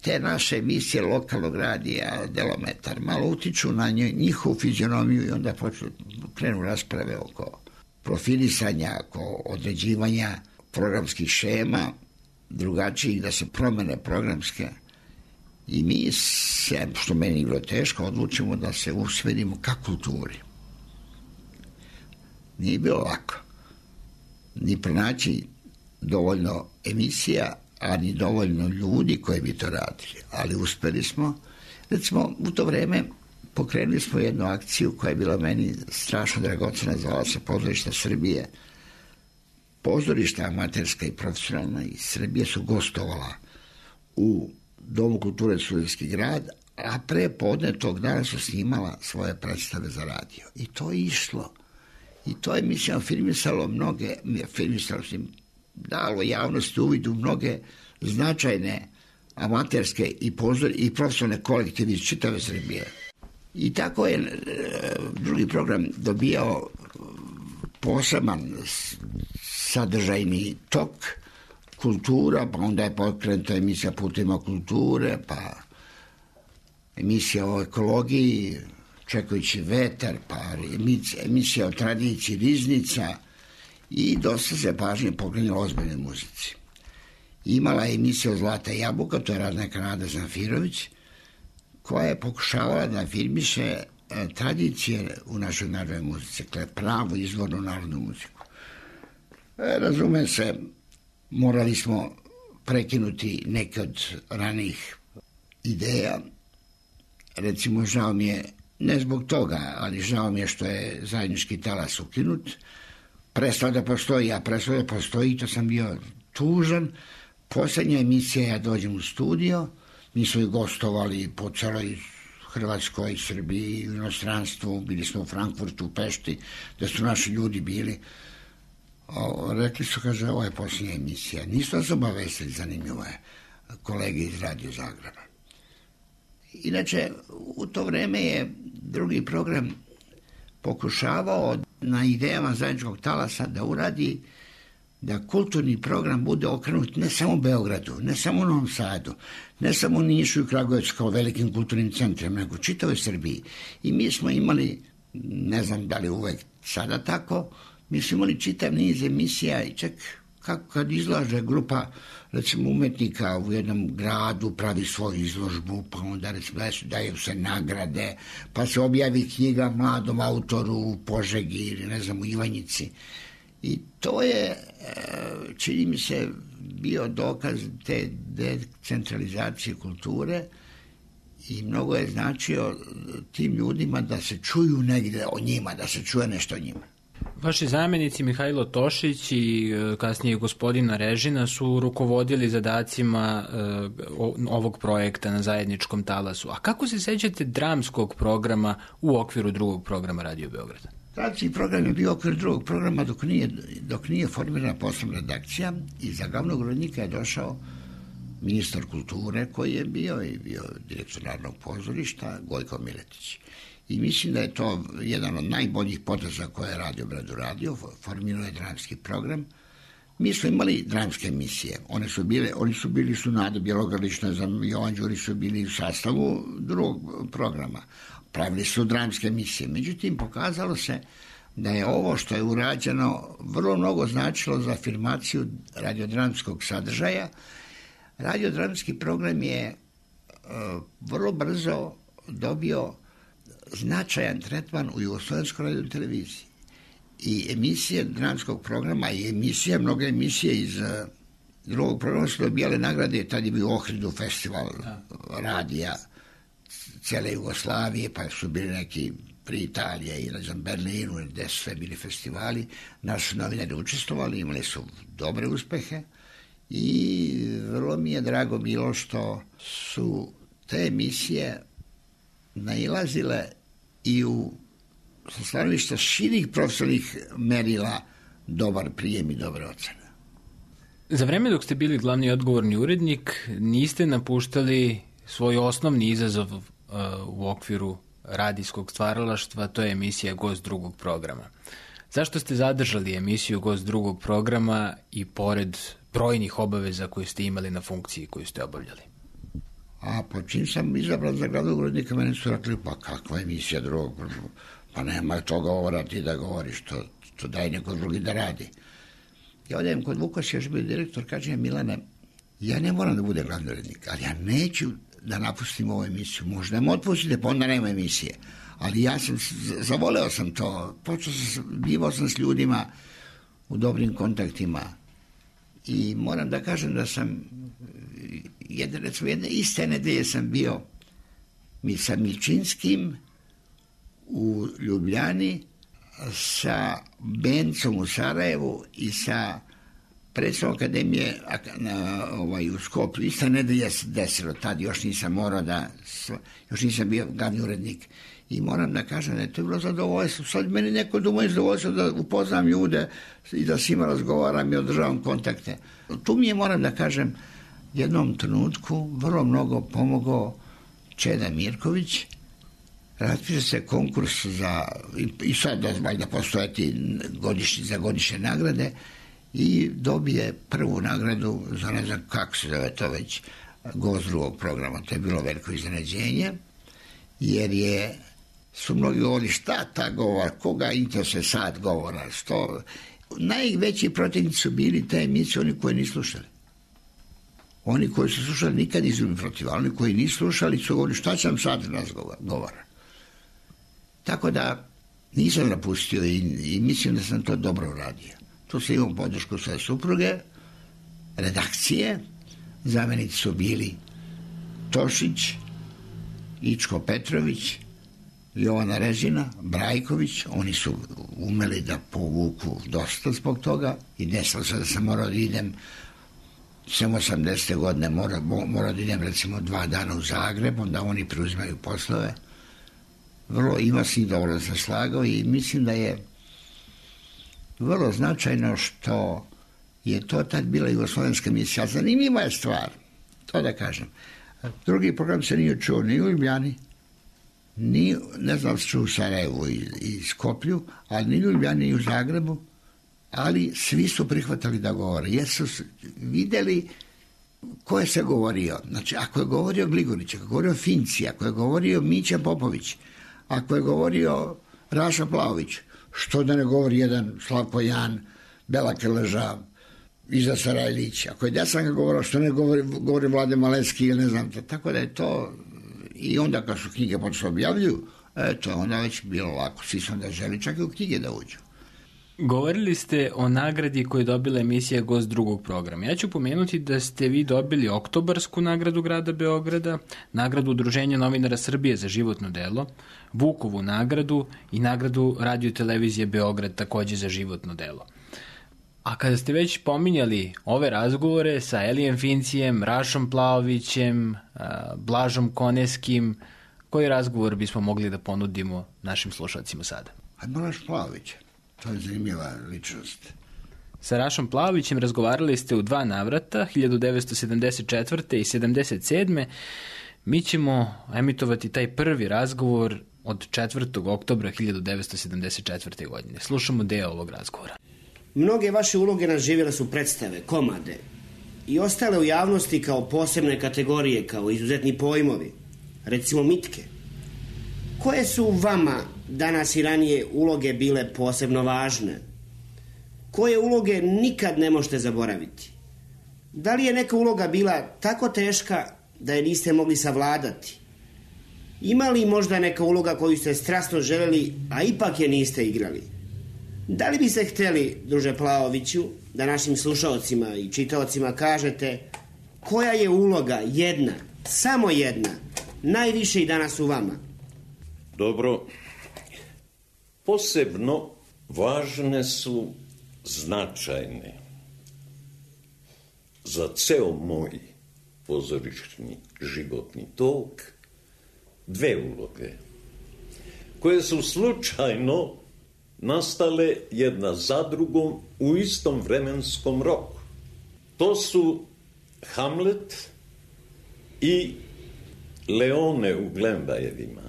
te naše emisije lokalnog radija, Delometar, malo utiču na njihovu fizionomiju i onda počnu, krenu rasprave oko profilisanja, oko određivanja programskih šema, drugačijih, da se promene programske. I mi se, što meni je bilo teško, odlučimo da se usmerimo ka kulturi. Nije bilo lako. Ni pronaći dovoljno emisija, a ni dovoljno ljudi koji bi to radili. Ali uspeli smo. Recimo, u to vreme pokrenuli smo jednu akciju koja je bila meni strašno dragocena, zvala se Pozorišta Srbije. Pozorišta amaterska i profesionalna iz Srbije su gostovala u Domu kulture Studentski grad, a pre podne tog dana su snimala svoje predstave za radio. I to je išlo. I to je, mislim, afirmisalo mnoge, afirmisalo se dalo javnosti uvid u mnoge značajne amaterske i, pozor, i profesionalne kolektive iz čitave Srbije. I tako je drugi program dobijao poseban sadržajni tok, kultura, pa onda je pokrenuta emisija Putima kulture, pa emisija o ekologiji, Čekajući vetar, pa emisija o tradiciji Riznica i dosta se pažnje pokrenula ozbiljnoj muzici. Imala je emisija o Zlata jabuka, to je radila neka Nada Zanfirović, koja je pokušavala da afirmiše tradicije u našoj narodnoj muzici, dakle pravu izvornu narodnu muziku. E, razume se, morali smo prekinuti neke od ranih ideja. Recimo, žao mi je, ne zbog toga, ali žao mi je što je zajednički talas ukinut. Prestao da postoji, ja prestao da postoji, to sam bio tužan. Poslednja emisija, ja dođem u studio, mi smo i gostovali po celoj Hrvatskoj, Srbiji, u inostranstvu, bili smo u Frankfurtu, u Pešti, da su naši ljudi bili. O, rekli su, kaže, ovo je posljednja emisija. Nisu nas obavestili, zanimljivo je, kolege iz Radio Zagreba. Inače, u to vreme je drugi program pokušavao na idejama zajedničkog talasa da uradi da kulturni program bude okrenut ne samo Beogradu, ne samo Novom Sadu, ne samo Nišu i Kragujevcu kao velikim kulturnim centrima, nego čitavoj Srbiji. I mi smo imali, ne znam da li uvek sada tako, mi smo imali čitav niz emisija i čak kako kad izlaže grupa, recimo, umetnika u jednom gradu, pravi svoju izložbu, pa onda recimo daju se nagrade, pa se objavi knjiga mladom autoru u Požegi ili ne znam u Ivanjici. I to je, čini mi se, bio dokaz te decentralizacije kulture i mnogo je značio tim ljudima da se čuju negde o njima, da se čuje nešto o njima. Vaši zamenici Mihajlo Tošić i kasnije gospodina Režina su rukovodili zadacima ovog projekta na zajedničkom talasu. A kako se sećate dramskog programa u okviru drugog programa Radio Beograda? Dramski program je bio u okviru drugog programa dok nije, dok nije formirana posebna redakcija i za glavnog urednika je došao ministar kulture koji je bio i bio direktor Narodnog pozorišta Gojko Miletić. I mislim da je to jedan od najboljih poteza koje je Radio Beograd uradio, formirao je dramski program. Mi smo imali dramske emisije, one su bile, oni su bili su Nada Bjelogrlić, ne znam, Jovan Đuri su bili u sastavu drugog programa. Pravili su dramske emisije, međutim pokazalo se da je ovo što je urađeno vrlo mnogo značilo za afirmaciju radiodramskog sadržaja. Radiodramski program je uh, vrlo brzo dobio značajan tretman u Jugoslovenskoj radio televiziji. I emisije dramskog programa i emisije, mnoge emisije iz uh, drugog programa su dobijale nagrade, tad je bio u Ohridu festival radija cele Jugoslavije, pa su bili neki pri Italije i na Berlinu, gde su sve bili festivali, naši novinari učestvovali, imali su dobre uspehe i vrlo mi je drago bilo što su te emisije nailazile i u sa stanovišta širih profesionalnih merila dobar prijem i dobre ocene. Za vreme dok ste bili glavni i odgovorni urednik, niste napuštali svoj osnovni izazov uh, u okviru radijskog stvaralaštva, to je emisija Gost drugog programa. Zašto ste zadržali emisiju Gost drugog programa i pored brojnih obaveza koje ste imali na funkciji koju ste obavljali? A po čim sam izabran za glavnog urednika, meni su rekli, pa kakva emisija drugog programa? Pa nema to govora, ti da govoriš, to, to daj neko drugi da radi. Ja odem kod Vukas, još bio direktor, kaže Milane, ja ne moram da bude glavni urednik, ali ja neću da napustim ovu emisiju. Možda me otpustite, pa onda nema emisije. Ali ja sam, zavoleo sam to, počeo sam, bivao sam s ljudima u dobrim kontaktima i moram da kažem da sam, jedne, recimo jedne iste nedelje sam bio mi sa Milčinskim u Ljubljani, sa Bencom u Sarajevu i sa predstavom akademije na, ovaj, u Skoplju. Ista nedelja se desilo, tad još nisam morao da, još nisam bio glavni urednik. I moram da kažem da je to bilo zadovoljstvo. Sad meni neko doma je zadovoljstvo da upoznam ljude i da s njima razgovaram i održavam kontakte. Tu mi je, moram da kažem, jednom trenutku vrlo mnogo pomogao Čeda Mirković. Raspiše se konkurs za, i sad valjda postojati godišnji, za godišnje nagrade i dobije prvu nagradu za, ne znam kako se zove to već, Gost drugog programa. To je bilo veliko iznenađenje, jer je, su mnogi govorili šta ta govor, koga interesuje sad govora, što. Najveći protivnici su bili te emisije, oni koji nisu slušali. Oni koji su slušali nikad nisu bili protiv, ali oni koji nisu slušali su govorili šta će nam sad nas govora. Tako da nisam napustio i, i mislim da sam to dobro uradio. Tu sam imao podršku svoje supruge, redakcije, zamenici su bili Tošić, Ičko Petrović, Jovana Režina, Brajković, oni su umeli da povuku dosta zbog toga i desilo se da sam morao da idem samo osamdesete godine, morao, morao da idem recimo dva dana u Zagreb, onda oni preuzimaju poslove. Vrlo ima s njih dobro da se slagao i mislim da je vrlo značajno što je to tad bila jugoslovenska emisija. Zanimljiva je stvar, to da kažem. Drugi program se nije čuo ni u Ljubljani, ni, ne znam se čuo u Sarajevu i, i Skoplju, ali ni u Ljubljani ni u Zagrebu, ali svi su prihvatali da govore, jer su videli ko je se govorio. Znači, ako je govorio Gligorić, ako je govorio Finci, ako je govorio Mića Popović, ako je govorio Raša Plaović, što da ne govori jedan Slavko Jan, Bela Krleža, Iza Sarajlić, ako je Desanka govorio, što ne govori, govori Vlade Maleski ili ne znam, tako da je to, i onda kad su knjige počeli objavljuju, eto, onda već bilo lako, svi su onda želi čak i u knjige da uđu. Govorili ste o nagradi koju je dobila emisija Gost drugog programa. Ja ću pomenuti da ste vi dobili oktobarsku nagradu grada Beograda, nagradu Udruženja novinara Srbije za životno delo, Vukovu nagradu i nagradu Radio televizije Beograd takođe za životno delo. A kada ste već pominjali ove razgovore sa Elijem Fincijem, Rašom Plaovićem, Blažom Koneskim, koji razgovor bismo mogli da ponudimo našim slušalcima sada? A Blaž Plaović, to je zanimljiva ličnost. Sa Rašom Plaovićem razgovarali ste u dva navrata, hiljadu devetsto sedamdeset četvrte i sedamdeset sedme. Mi ćemo emitovati taj prvi razgovor od četvrtog oktobra hiljadu devetsto sedamdeset četvrte. godine. Slušamo deo ovog razgovora. Mnoge vaše uloge nadživjele su predstave, komade i ostale u javnosti kao posebne kategorije, kao izuzetni pojmovi, recimo mitke. Koje su vama danas i ranije uloge bile posebno važne? Koje uloge nikad ne možete zaboraviti? Da li je neka uloga bila tako teška da je niste mogli savladati? Ima li možda neka uloga koju ste strasno želeli, a ipak je niste igrali? Da li biste htjeli, druže Plaoviću, da našim slušalcima i čitaocima kažete koja je uloga jedna, samo jedna, najviše i danas u vama? Dobro, Posebno važne su, značajne za ceo moj pozorišni životni tok dve uloge koje su slučajno nastale jedna za drugom u istom vremenskom roku. To su Hamlet i Leone u Glembajevima.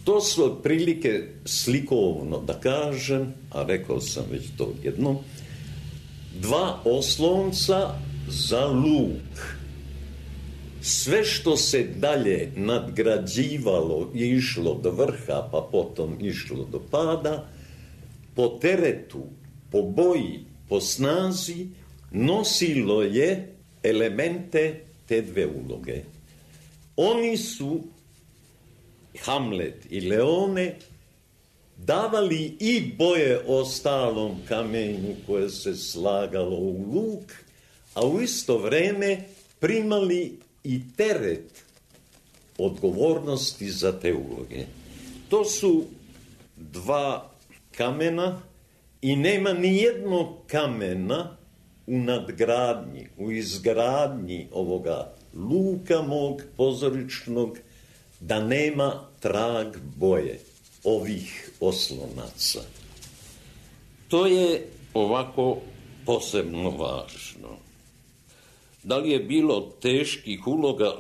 To su otprilike slikovno da kažem, a rekao sam već to jednom, dva oslonca za luk. Sve što se dalje nadgrađivalo i išlo do vrha, pa potom išlo do pada, po teretu, po boji, po snazi, nosilo je elemente te dve uloge. Oni su, Hamlet i Leone, davali i boje ostalom kamenju koje se slagalo u luk, a u isto vreme primali i teret odgovornosti za te uloge. To su dva kamena i nema ni jednog kamena u nadgradnji, u izgradnji ovoga luka mog pozorišnog da nema trag boje ovih oslonaca. To je ovako posebno važno. Da li je bilo teških uloga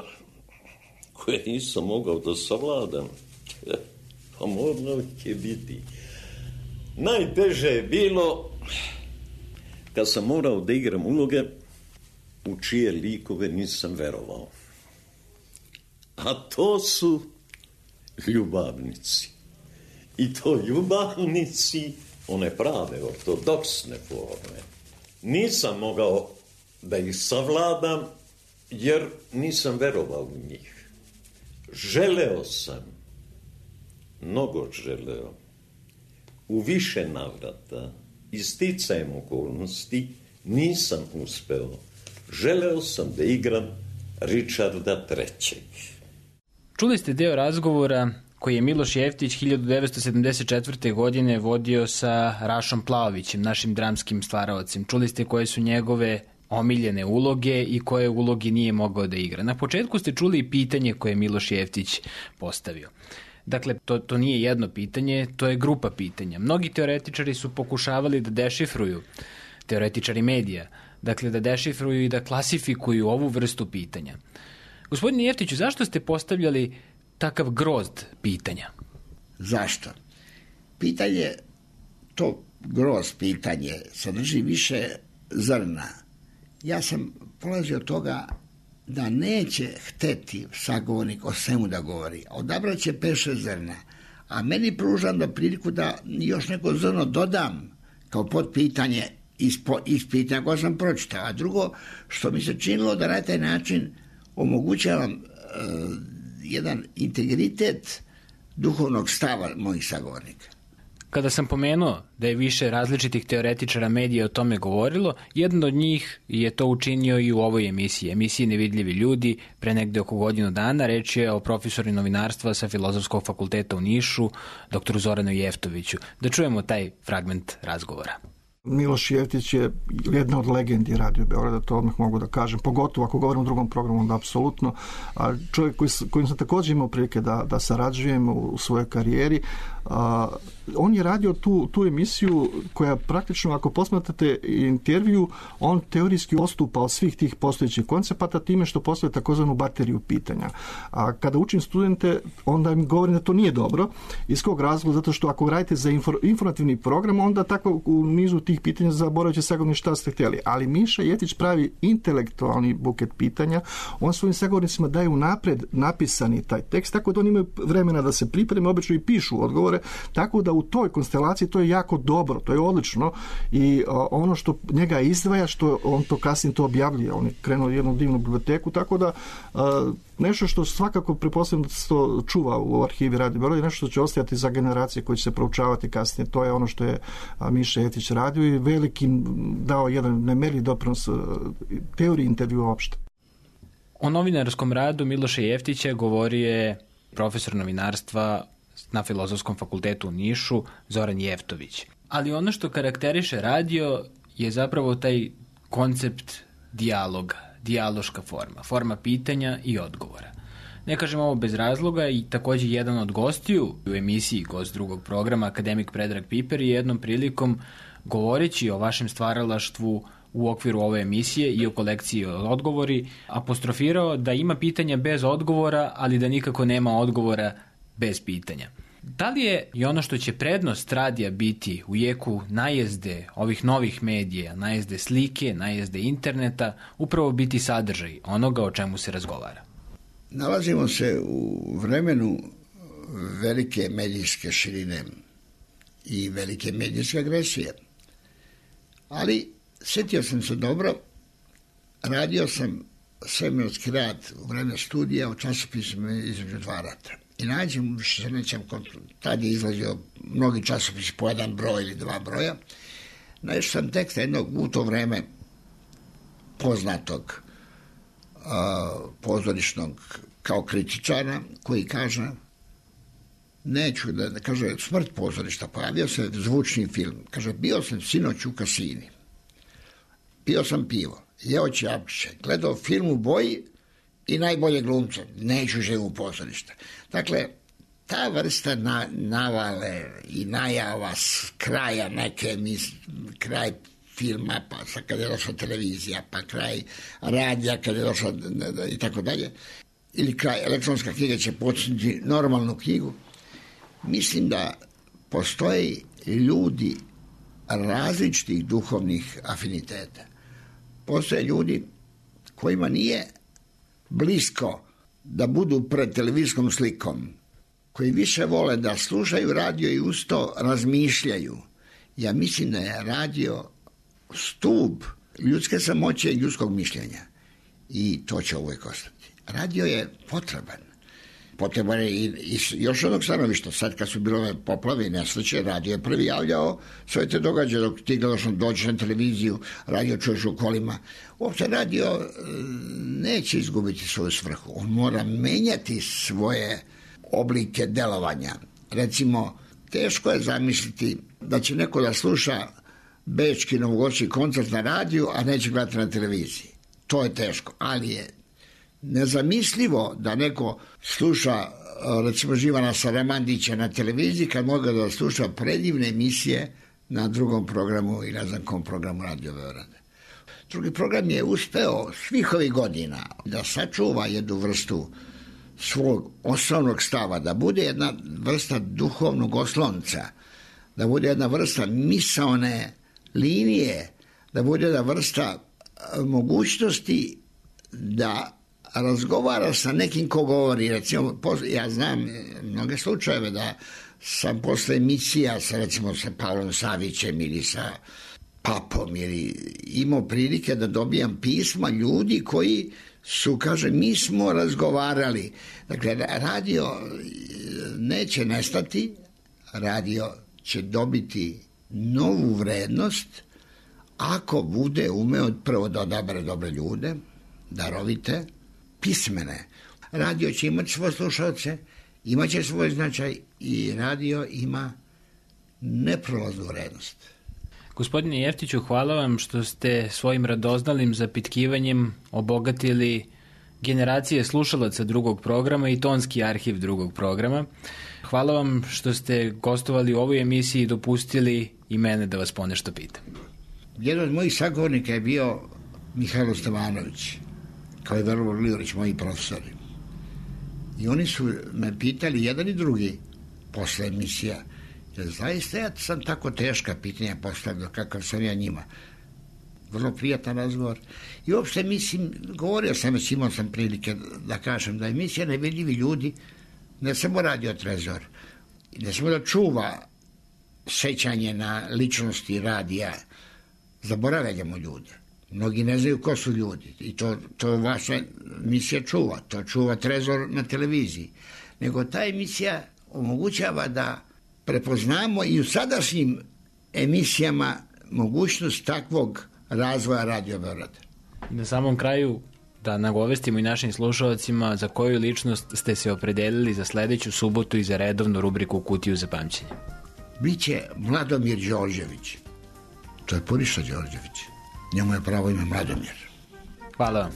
koje nisam mogao da savladam? Pa moralo će biti. Najteže je bilo kad sam morao da igram uloge u čije likove nisam verovao. A to su ljubavnici. I to ljubavnici, one prave, ortodoksne forme. Nisam mogao da ih savladam, jer nisam verovao u njih. Želeo sam, mnogo želeo, u više navrata, i sticajem okolnosti, nisam uspeo. Želeo sam da igram Ričarda trećeg. Čuli ste deo razgovora koji je Miloš Jeftić hiljadu devetsto sedamdeset četvrte. godine vodio sa Rašom Plaovićem, našim dramskim stvaraocem. Čuli ste koje su njegove omiljene uloge i koje uloge nije mogao da igra. Na početku ste čuli i pitanje koje je Miloš Jeftić postavio. Dakle, to, to nije jedno pitanje, to je grupa pitanja. Mnogi teoretičari su pokušavali da dešifruju, teoretičari medija, dakle da dešifruju i da klasifikuju ovu vrstu pitanja. Gospodine Jeftiću, zašto ste postavljali takav grozd pitanja? Zašto? Pitanje, to grozd pitanje, sadrži više zrna. Ja sam polazio od toga da neće hteti sagovornik o svemu da govori. Odabrat će pet šest zrna. A meni pružam da priliku da još neko zrno dodam kao podpitanje iz, iz pitanja koje sam pročitao. A drugo, što mi se činilo da na taj način omogućavam uh, jedan integritet duhovnog stava mojih sagovornika. Kada sam pomenuo da je više različitih teoretičara medija o tome govorilo, jedan od njih je to učinio i u ovoj emisiji, emisiji Nevidljivi ljudi, pre negde oko godinu dana. Reč je o profesoru novinarstva sa Filozofskog fakulteta u Nišu, doktoru Zoranu Jeftoviću. Da čujemo taj fragment razgovora. Miloš Jeftić je jedna od legendi Radio Beograda, to odmah mogu da kažem, pogotovo ako govorim o drugom programu, onda apsolutno. A čovjek koji, kojim sam također imao prilike da, da sarađujem u, u svojoj karijeri, a, on je radio tu, tu emisiju koja praktično, ako posmatrate intervju, on teorijski odstupa od svih tih postojećih koncepata time što postoje takozvanu bateriju pitanja. A kada učim studente, onda im govorim da to nije dobro. Iz kog razloga? Zato što ako radite za infor, informativni program, onda tako u nizu tih pitanja zaboravit će sagovornik šta ste htjeli. Ali Miša Jeftić pravi intelektualni buket pitanja. On svojim sagovornicima daje unapred napisani taj tekst, tako da oni imaju vremena da se pripreme, obično i pišu odgovore, tako da u toj konstelaciji to je jako dobro, to je odlično i a, ono što njega izdvaja, što on to kasnije to objavljuje, on je krenuo jednu divnu biblioteku, tako da a, nešto što svakako pretpostavljam da se to čuva u arhivi Radio Beograd je nešto što će ostajati za generacije koje će se proučavati kasnije. To je ono što je a, Miša Jeftić radio i velikim dao jedan nemerljiv doprinos teoriji intervjua uopšte. O novinarskom radu Miloša Jeftića govorio je profesor novinarstva na Filozofskom fakultetu u Nišu, Zoran Jeftović. Ali ono što karakteriše radio je zapravo taj koncept dijaloga, dijaloška forma, forma pitanja i odgovora. Ne kažem ovo bez razloga i takođe jedan od gostiju u emisiji Gost drugog programa, akademik Predrag Piper, je jednom prilikom govoreći o vašem stvaralaštvu u okviru ove emisije i o kolekciji odgovori, apostrofirao da ima pitanja bez odgovora, ali da nikako nema odgovora bez pitanja. Da li je i ono što će prednost radija biti u jeku najezde ovih novih medija, najezde slike, najezde interneta, upravo biti sadržaj onoga o čemu se razgovara? Nalazimo se u vremenu velike medijske širine i velike medijske agresije. Ali sjetio sam se dobro, radio sam svemirski rad u vreme studija u časopisima između dva rata. I nađem, više se nećem, tad je izlazio mnogi časopisi po jedan broj ili dva broja. Našao sam tekst jednog u to vreme poznatog a, pozorišnog kao kritičara koji kaže, neću da, da kaže, smrt pozorišta, pojavio se zvučni film. Kaže, bio sam sinoć u kasini, pio sam pivo, jeo ćevapčiće, gledao film u boji i najbolje glumce, neću živim u pozorište. Dakle, ta vrsta na, navale i najava s kraja neke, mis, kraj filma, pa sad kad je došla televizija, pa kraj radija kad je došla i tako dalje, ili kraj elektronska knjiga će početi normalnu knjigu, mislim da postoje ljudi različitih duhovnih afiniteta. Postoje ljudi kojima nije blisko da budu pred televizijskom slikom, koji više vole da slušaju radio i uz to razmišljaju. Ja mislim da je radio stup ljudske samoće i ljudskog mišljenja. I to će uvijek ostati. Radio je potreban. Potreban je i, i još onog stanovišta. Sad kad su bile ove poplave i nesreće, radio je prvi javljao sve te događaje dok ti gledaš dođeš na televiziju, radio čuješ u kolima. Uopće radio neće izgubiti svoju svrhu. On mora menjati svoje oblike delovanja. Recimo, teško je zamisliti da će neko da sluša bečki novogodišnji koncert na radiju, a neće gledati na televiziji. To je teško, ali je nezamislivo da neko sluša, recimo, Živana Saramandića na televiziji kad može da sluša predivne emisije na drugom programu i ne znam kom programu Radio Beograda. Drugi program je uspeo svih ovih godina da sačuva jednu vrstu svog osnovnog stava, da bude jedna vrsta duhovnog oslonca, da bude jedna vrsta misaone linije, da bude jedna vrsta mogućnosti da razgovara sa nekim ko govori. Recimo, ja znam mnoge slučajeve da sam posle emisija sa, recimo, sa Pavlom Savićem ili sa Papom ili imao prilike da dobijam pisma ljudi koji su, kaže, mi smo razgovarali. Dakle, radio neće nestati, radio će dobiti novu vrednost ako bude umeo prvo da odabere dobre ljude, darovite, pismene. Radio će imati svoje slušalce, imat će svoj značaj i radio ima neprolaznu vrednost. Gospodine Jeftiću, hvala vam što ste svojim radoznalim zapitkivanjem obogatili generacije slušalaca drugog programa i tonski arhiv drugog programa. Hvala vam što ste gostovali u ovoj emisiji i dopustili i mene da vas ponešto pitam. Jedan od mojih sagovornika je bio Mihajlo Stevanović, kao i Veroljub Livorić, moji profesori. I oni su me pitali, jedan i drugi, posle emisija, jer zaista ja sam tako teška pitanja postavljao kakav sam ja njima. Vrlo prijatan razgovor. I uopšte, mislim, govorio sam već, imao sam prilike da kažem da emisija Nevidljivi ljudi ne samo Radio Trezor, ne samo da čuva sećanje na ličnosti radija, zaboravljamo ljude. Mnogi ne znaju ko su ljudi i to, to vaša emisija čuva, to čuva Trezor na televiziji. Nego ta emisija omogućava da prepoznamo i u sadašnjim emisijama mogućnost takvog razvoja Radio Beograda. Na samom kraju, Da nagovestimo i našim slušalcima za koju ličnost ste se opredelili za sledeću subotu i za redovnu rubriku Kutiju za pamćenje. Biće Mladomir Đorđević. To je Puriša Đorđević. Njemu je pravo ime Mladomir. Hvala vam.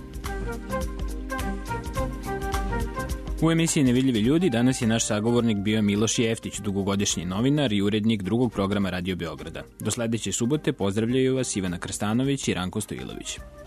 U emisiji Nevidljivi ljudi danas je naš sagovornik bio Miloš Jeftić, dugogodišnji novinar i urednik drugog programa Radio Beograda. Do sledeće subote pozdravljaju vas Ivana Krstanović i Ranko Stojilović.